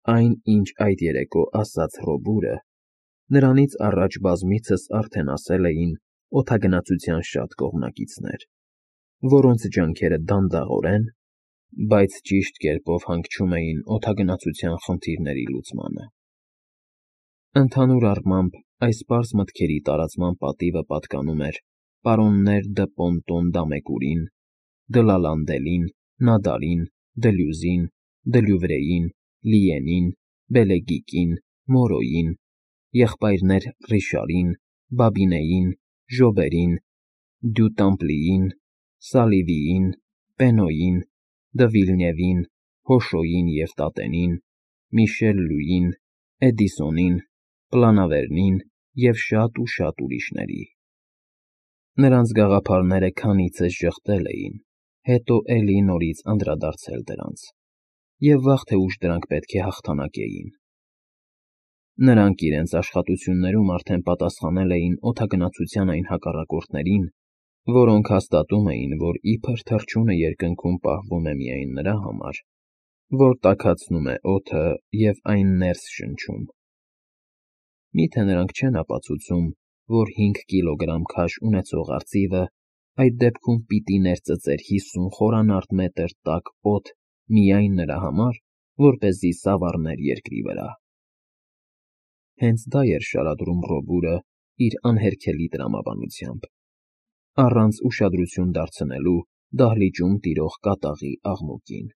Այն, ինչ այդ երեկո ասաց Ռոբուրը, նրանից առաջ բազմիցս արդեն ասել էին օդագնացության շատ կողմնակիցներ, որոնց ջանքերը դանդաղորեն, բայց ճիշտ կերպով հանգչում էին օդագնացության խնդիրների լուծմանը։ Ընդհանուր առմամբ, այս պարզ մտքերի տարածման պատիվը պատկանում էր պարոններ դը Պոնտոն Դամեկուրին, Դլալանդելին, Նադարին, Դլյուզին, Դլյուվրեին, Լիենին, Բելեգիկին, Մորոյին, եղբայրներ Ռիշարին, Բաբինեին, Ժոբերին, Դյուտամպլիին, Սալիվիին, Պենոյին, Դվիլնևին, Հոշոյին և Տատենին, Միշել Լյուին, Էդիսոնին, Պլանավերնին և շատ ու շատ ուրիշների։ Նրանց գաղափարները քանիցս ժխտել էին, հետո էլի նորից անդրադարձել դրանց, և վաղ թե ուշ դրանք պետք է հաղթանակեին։ Նրանք իրենց աշխատություններում արդեն պատասխանել էին օդագնացության այն հակառակորդներին, որոնք հաստատում էին, որ իբր թռչունը երկնքում պահվում է միայն նրա համար, որ տաքացնում է օդը և այն ներս շնչում։ Մի՞թե նրանք չեն ապացուցում, որ 5 կիլոգրամ քաշ ունեցող արծիվը այդ դեպքում պիտի ներծծեր 50 խորանարդ մետր տաք օդ միայն նրա համար, որպեսզի սավառներ երկրի վրա։ Հենց դա էր շարադրում Ռոբուրը իր անհերքելի տրամաբանությամբ, առանց ուշադրություն դարձնելու դահլիճում տիրող կատաղի աղմուկին։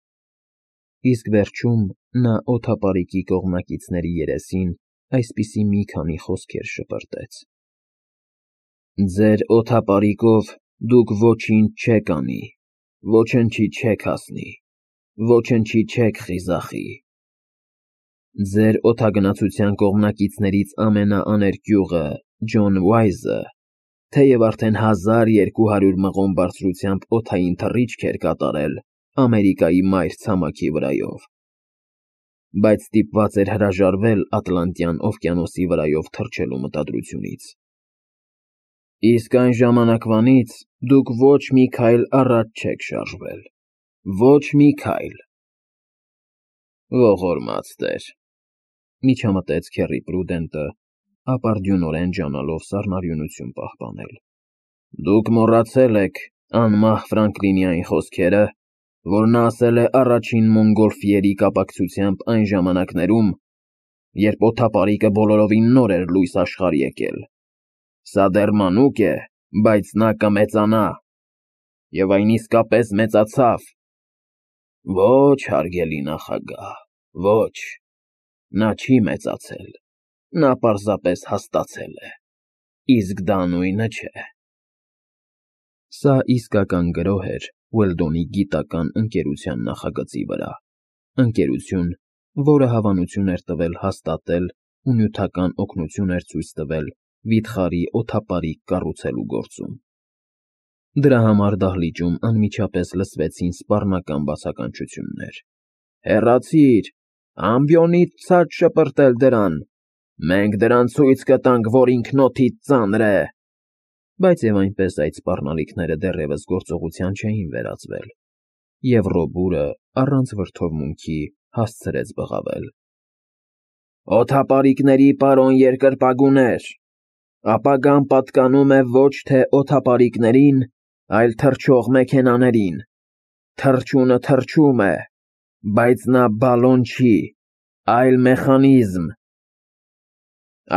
Իսկ վերջում նա օդապարիկի կողմնակիցների երեսին այսպիսի մի քանի խոսքեր շպրտեց. «Ձեր օդապարիկով դուք ոչինչ չեք անի, ոչնչի չեք հասնի, ոչնչի չեք խիզախի։ Ձեր օդագնացության կողմնակիցներից ամենաաներկյուղը՝ Ջոն Ուայզը, թեև արդեն 1200 մղոն բարձրությամբ օդային թռիչք էր կատարել Ամերիկայի մայր ցամաքի վրայով, բայց ստիպված էր հրաժարվել Ատլանտյան օվկիանոսի վրայով թռչելու մտադրությունից։ Իսկ այն ժամանակվանից դուք ոչ մի քայլ առաջ չեք շարժվել, ոչ մի քայլ»։ «Ողորմած տեր», միջամտեց Քեռի Պրուդենտը, ապարդյունորեն ջանալով սառնարյունություն պահպանել, «դուք մոռացել եք անմահ Ֆրանկլինի այն խոսքերը, որ նա ասել է առաջին մոնգոլֆիերի կապակցությամբ այն ժամանակներում, երբ օդապարիկը բոլորովին նոր էր լույս աշխարհ եկել. «Սա դեռ մանուկ է, բայց նա կմեծանա»։ Եվ այն իսկապես մեծացավ։ Ոչ, հարգելի նախագահ, ոչ, նա չի մեծացել, նա պարզապես հաստացել է, իսկ դա նույնը չէ։ Սա իսկական գրոհ էր Ուելդոնի գիտական ընկերության նախագծի վրա, ընկերություն, որը հավանություն էր տվել հաստատել ու նյութական օգնություն էր ցույց տվել վիթխարի օդապարիկ կառուցելու գործում։ Դրա համար դահլիճում անմիջապես լսվեցին սպառնական բացականչություններ. «Հեռացիր, ամբիոնիդ ցած շպրտել դրան, մենք դրան ցույց կտանք, որ ինքնոթիդ ծանր է»։ Բայց և այնպես այդ սպառնալիքները դեռևս գործողության չէին վերածվել, և Ռոբուրը առանց վրդովմունքի հասցրեց բղավել. «Օդապարիկների պարոն երկրպագուներ, ապագան պատկանում է ոչ թե օդապարիկներին, այլ թռչող մեքենաներին։ Թռչունը թռչում է, բայց նա բալոն չի, այլ մեխանիզմ»։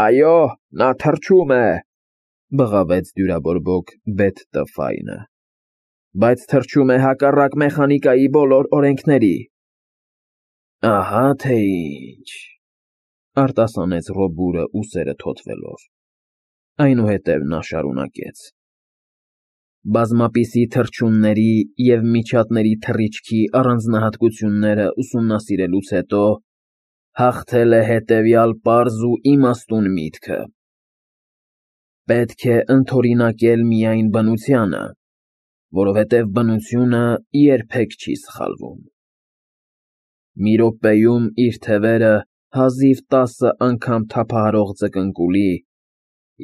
«Այո, նա թռչում է», բղավեց դյուրաբորբոք Բեթ Տը. «բայց թռչում է հակառակ մեխանիկայի բոլոր օրենքների»։ Ահա թե ինչ, արտասանեց Ռոբուրը ուսերը թոթվելով։ Այնուհետև նա շարունակեց. Բազմապիսի թռչունների և միջատների թռիչքի առանձնահատկությունները ուսումնասիրելուց հետո հաղթել է հետևյալ պարզ ու իմաստուն միտքը. պետք է ընդօրինակել միայն բնությանը, որովհետև բնությունը երբեք չի սխալվում։ Մի րոպեում իր թևերը հազիվ 10 անգամ թափահարող ձկնկուլի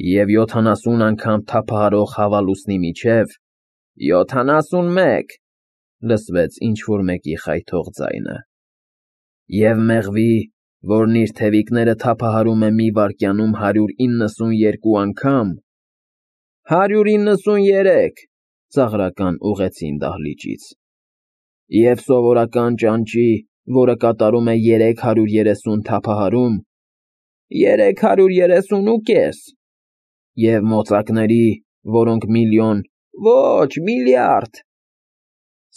և 70 անգամ թափահարող հավալուսնի միջև 71 լսվեց ինչ-որ մեկի խայթող ձայնը, և մեղվի որն իր թևիկները թափահարում է մի վայրկյանում 192 անգամ։ 193 ծաղրական ուղեցին դահլիճից։ Եվ սովորական ճանճի, որը կատարում է 330 թափահարում, 330.5, և մոծակների, որոնք միլիոն, ոչ, միլիարդ։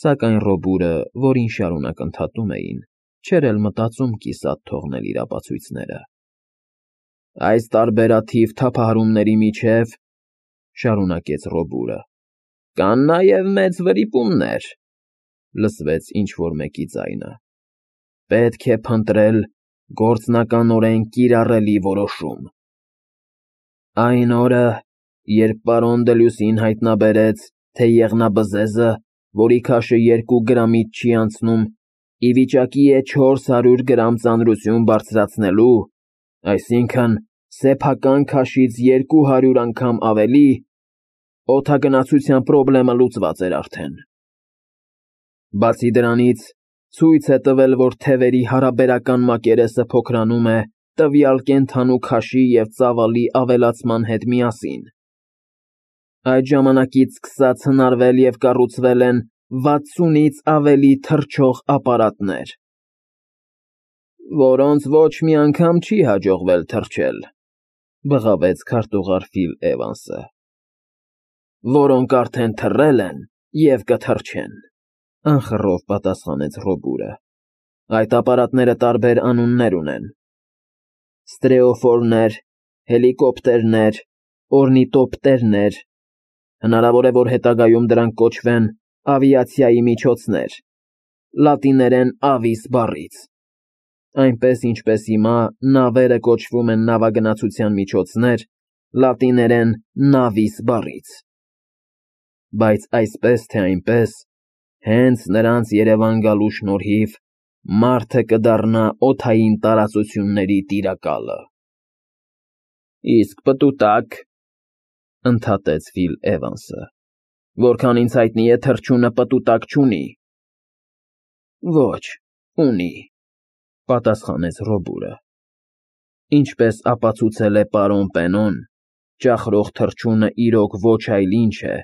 Սակայն Ռոբուրը, որին շարունակ ընդհատում էին, չէր էլ մտածում կիսատ թողնել իր ապացույցները։ Այս տարբերաթիվ թափահարումների միջև, շարունակեց Ռոբուրը, կան նաև մեծ վրիպումներ, լսվեց ինչ-որ մեկի ձայնը։ Պետք է փնտրել գործնականորեն կիրառելի որոշում։ Այն օրը, երբ պարոն Դելյուսին հայտնաբերեց, թե եղնաբզեզը, որի քաշը 2 գրամից չի անցնում, ի վիճակի է 400 գրամ ծանրություն բարձրացնելու, այսինքն սեփական քաշից 200 անգամ ավելի, օդագնացության պրոբլեմը լուծված էր արդեն։ Բացի դրանից, ցույց է տվել, որ թևերի հարաբերական մակերեսը փոքրանում է տվյալ կենդանու քաշի և ծավալի ավելացման հետ միասին։ Այդ ժամանակից սկսած հնարվել և կառուցվել են 60-ից ավելի թռչող ապարատներ, որոնց ոչ մի անգամ չի հաջողվել թռչել, բղավեց քարտուղար Ֆիլ Էվանսը, որոնք արդեն թռել են և կթռչեն, անխռով պատասխանեց Ռոբուրը։ Այդ ապարատները տարբեր անուններ ունեն. ստրեոֆորներ, հելիկոպտերներ, օրնիտոպտերներ, հնարավոր է, որ հետագայում դրանք կոչվեն ավիացիայի միջոցներ, լատիներեն avis բառից, այնպես ինչպես հիմա նավերը կոչվում են նավագնացության միջոցներ, լատիներեն navis բառից։ Բայց այսպես թե այնպես, հենց նրանց Երևան գալու շնորհիվ մարդը կդառնա օդային տարածությունների տիրակալը։ Իսկ պտուտակ, ընդհատեց Ֆիլ Էվանսը, որքան ինձ հայտնի է, թռչյունը պտուտակ չունի։ Ոչ, ունի, պատասխանեց Ռոբուրը։ Ինչպես ապացուցել է պարոն Պենոն, ճախրող թռչյունը իրոք ոչ այլ ինչ է,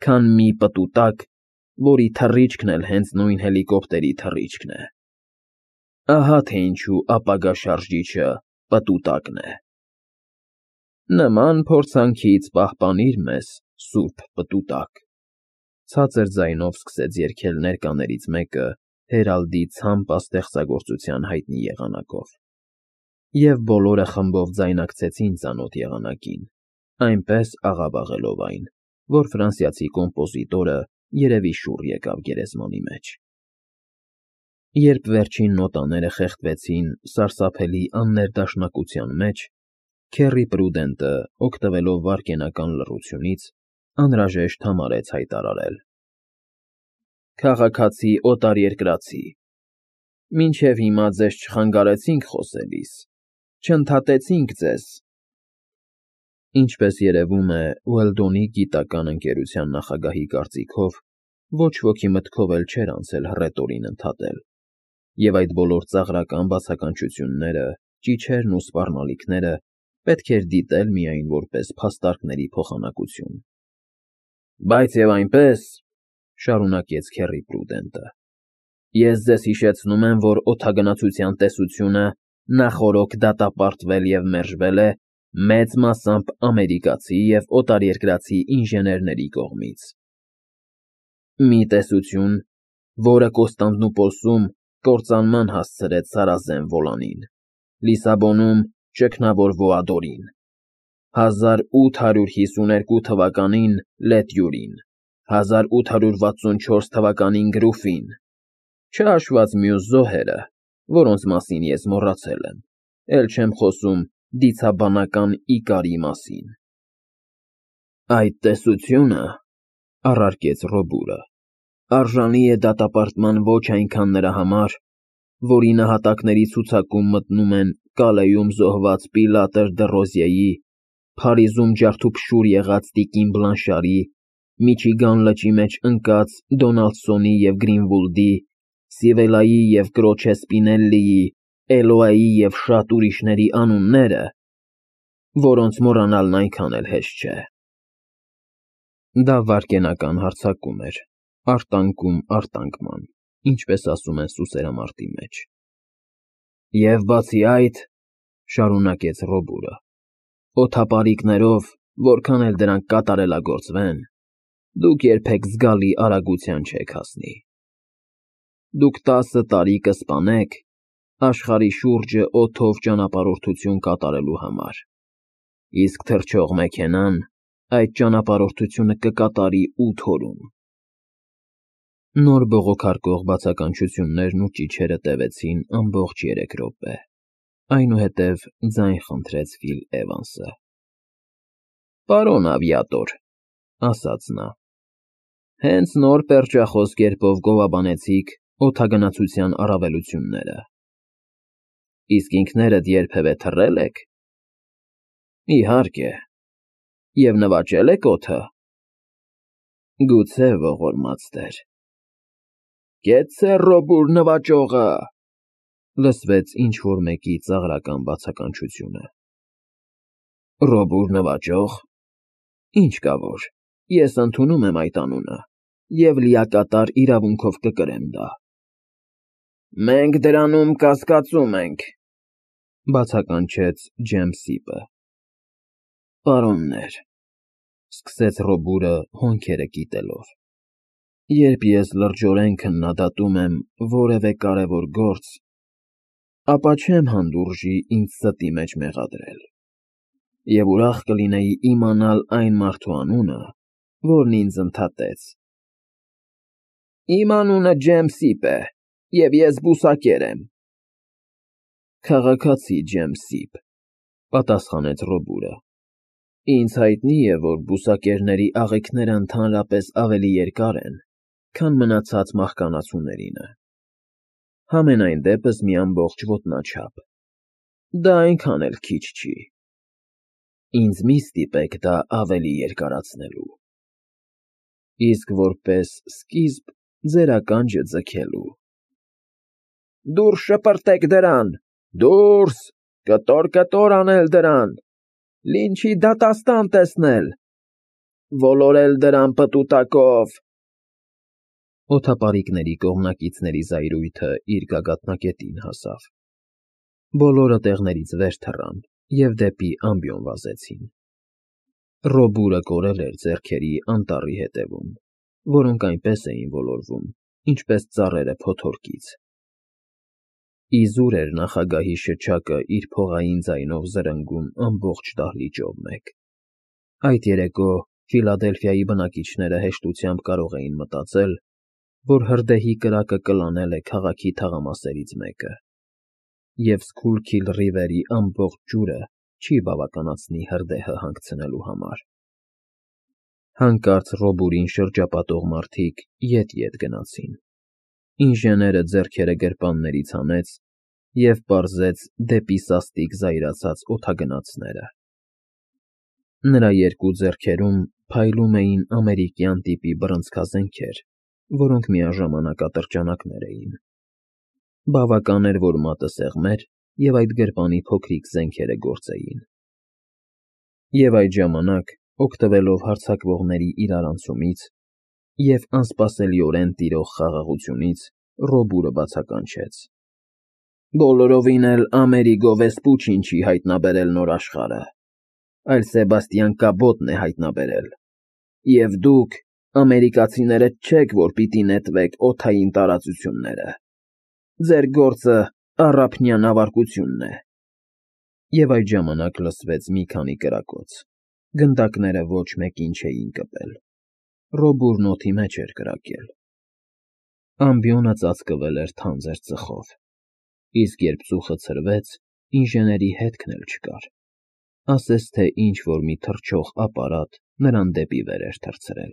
քան մի պտուտակ, որի թռիչքն էլ հենց նույն հելիկոպտերի թռիչքն է։ Ահա թե ինչու ապագա շարժիչը պտուտակն է։ Նման փորձանքից պահպանիր մեզ, սուրբ պտուտակ, ցածր ձայնով սկսեց երգել ներկաներից մեկը Հերալդի ցամպա ստեղծագործության հայտնի եղանակով։ Եվ բոլորը խմբով ձայնակցեցին ծանոթ եղանակին, այնպես աղավաղելով այն, որ ֆրանսիացի կոմպոզիտորը երևի շուռ եկավ գերեզմանի մեջ։ Երբ վերջին նոտաները խեղդվեցին սարսափելի աններդաշնակության մեջ, Քեռի Պրուդենտը, օգտվելով վայրկենական լռությունից, անհրաժեշտ համարեց հայտարարել. Քաղաքացի օտարերկրացի, մինչև հիմա ձեզ չխանգարեցինք խոսելիս, չընդհատեցինք ձեզ։ Ինչպես երևում է, Ուելդոնի գիտական ընկերության նախագահի կարծիքով, ոչ ոքի մտքով էլ չէր անցել հռետորին ընդհատել, և այդ բոլոր ծաղրական բացականչությունները, ճիչերն ու սպառնալիքները պետք էր դիտել միայն որպես փաստարկների փոխանակություն։ Բայց և այնպես, շարունակեց Քեռի Պրուդենտը, ես ձեզ հիշեցնում եմ, որ օդագնացության տեսությունը նախօրոք դատապարտվել և մերժվել է մեծ մասամբ ամերիկացի և օտարերկրացի ինժեներների կողմից։ Մի տեսություն, որը Կոստանդնուպոլսում կործանման հասցրեց Սարազեն Վոլանին, Լիսաբոնում ճգնավոր Վոադորին, 1852 թվականին Լետյուրին, 1864 թվականին Գրուֆին, չհաշված մյուս զոհերը, որոնց մասին ես մոռացել եմ, էլ չեմ խոսում դիցաբանական Իկարի մասին։ Այդ տեսությունը, առարկեց Ռոբուրը, արժանի է դատապարտման ոչ այնքան նրա համար, որի նահատակների ցուցակում մտնում են Կալեյում զոհված Պիլատր դը Ռոզիեի, Փարիզում ջարդուփշուր եղած տիկին Բլանշարի, Միչիգան լճի մեջ ընկած Դոնալդսոնի և Գրինվուլդի, Սիվելայի և կրոջե Սպինելլիի, Էլոայի և շատ ուրիշների անունները, որոնց մոռանալն այնքան էլ հեշտ չէ։ Դա վայրկենական հարձակում էր, արտանկում արտանկման, ինչպես ասում են սուսերամարտի մեջ։ Եվ բացի այդ, շարունակեց Ռոբուրը, օդապարիկներով, որքան էլ դրանք կատարելագործվեն, դուք երբեք զգալի արագության չեք հասնի։ Դուք 10 տարի կսպանեք աշխարհի շուրջը օդով ճանապարհորդություն կատարելու համար, իսկ թռչող մեքենան այդ ճանապարհորդությունը կկատարի 8 օրում։ Նոր բողոքարկող բացականչություններն ու ճիչերը տևեցին ամբողջ 3 րոպե, այնուհետև ձայն խնդրեց Ֆիլ Էվանսը։ «Պարոն ավիատոր», ասաց նա, «հենց նոր պերճախոս կերպով գովաբանեցիք օդագնացության առավելությունները։ Իսկ ինքներդ երբևէ թռել եք։ Իհարկե։ Եվ նվաճե՞լ եք օդը։ Գուցե, ողորմած տեր։ Կեցցե Ռոբուր նվաճողը», լսվեց ինչ-որ մեկի ծաղրական բացականչությունը։ Ռոբուր նվաճող։ Ինչ կա որ, ես ընդունում եմ այդ անունը և լիակատար իրավունքով կկրեմ դա։ Մենք դրանում կասկածում ենք, բացականչեց Ջեմսիպը։ Պարոններ, սկսեց Ռոբուրը հոնքերը կիտելով, երբ ես լրջորեն քննադատում եմ որևէ կարևոր գործ, ապա չեմ հանդուրժի ինձ ստի մեջ մեղադրել, և ուրախ կլինեի իմանալ այն մարդու անունը, որն ինձ ընդհատեց։ Իմ անունը Ջեմսիպ է, և ես բուսակեր եմ։ Քաղաքացի Ջեմսիպ, պատասխանեց Ռոբուրը։ Ինձ հայտնի է, որ բուսակերների աղիքները ընդհանրապես ավելի երկար են, քան մնացած մահկանացուներինը։ Համենայն դեպս մի ամբողջ ոտնաչափ։ Դա այնքան էլ քիչ չի։ Ինձ մի ստիպեք դա ավելի երկարացնելու։ Իսկ որպես սկիզբ ձեր ականջը ձգելու։ Դուրս շպրտեք դրան, դուրս, կտոր անել դրան, լինչի դատաստան տեսնել, ոլորել դրան պտուտակով։ Օդապարիկների կողմնակիցների զայրույթը իր գագաթնակետին հասավ։ Բոլորը տեղներից վեր թռան և դեպի ամբիոն վազեցին։ Ռոբուրը կորել էր ձեռքերի անտառի ետևում, որոնք այնպես էին ոլորվում, ինչպես ծառերը փոթորկից։ Իզուր էր նախագահի շչակը իր փողային ձայնով զրնգում ամբողջ դահլիճով մեկ։ Այդ երեկո Ֆիլադելֆիայի բնակիչները հեշտությամբ կարող էին մտածել, որ հրդեհի կրակը կլանել է քաղաքի թաղամասերից մեկը, և Սքուլքիլ Ռիվերի ամբողջ ջուրը չի բավականացնի հրդեհը հանգցնելու համար։ Հանկարծ Ռոբուրին շրջապատող մարդիկ ետ գնացին։ Ինժեները ձեռքերը գրպաններից հանեց և պարզեց դեպի սաստիկ զայրացած օդագնացները։ Նրա երկու ձեռքերում փայլում էին ամերիկյան տիպի բռնցքազենքեր, որոնք միաժամանակ ատրճանակներ էին։ Բավական էր, որ մատը սեղմեր, և այդ գրպանի փոքրիկ զենքերը գործեին։ Եվ այդ ժամանակ, օգտվելով հարձակվողների իրարանցումից և անսպասելիորեն տիրող խաղաղությունից, Ռոբուրը բացականչեց. Բոլորովին էլ Ամերիգո Վեսպուչին չի հայտնաբերել նոր աշխարհը, այլ Սեբաստիան Կաբոտն է հայտնաբերել, և դուք, ամերիկացիները, չեք, որ պիտի նետվեք օդային տարածությունները։ Ձեր գործը առափնյա նավարկությունն է։ Եվ այդ ժամանակ լսվեց մի քանի կրակոց։ Գնդակները ոչ մեկին չէին կպել։ Ռոբուրն օդի մեջ էր կրակել։ Ամբիոնը ծածկվել էր թանձր ծխով, իսկ երբ ծուխը ցրվեց, ինժեների հետքն էլ չկար, ասես թե ինչ֊որ մի թռչող ապարատ նրան դեպի վեր էր թռցրել։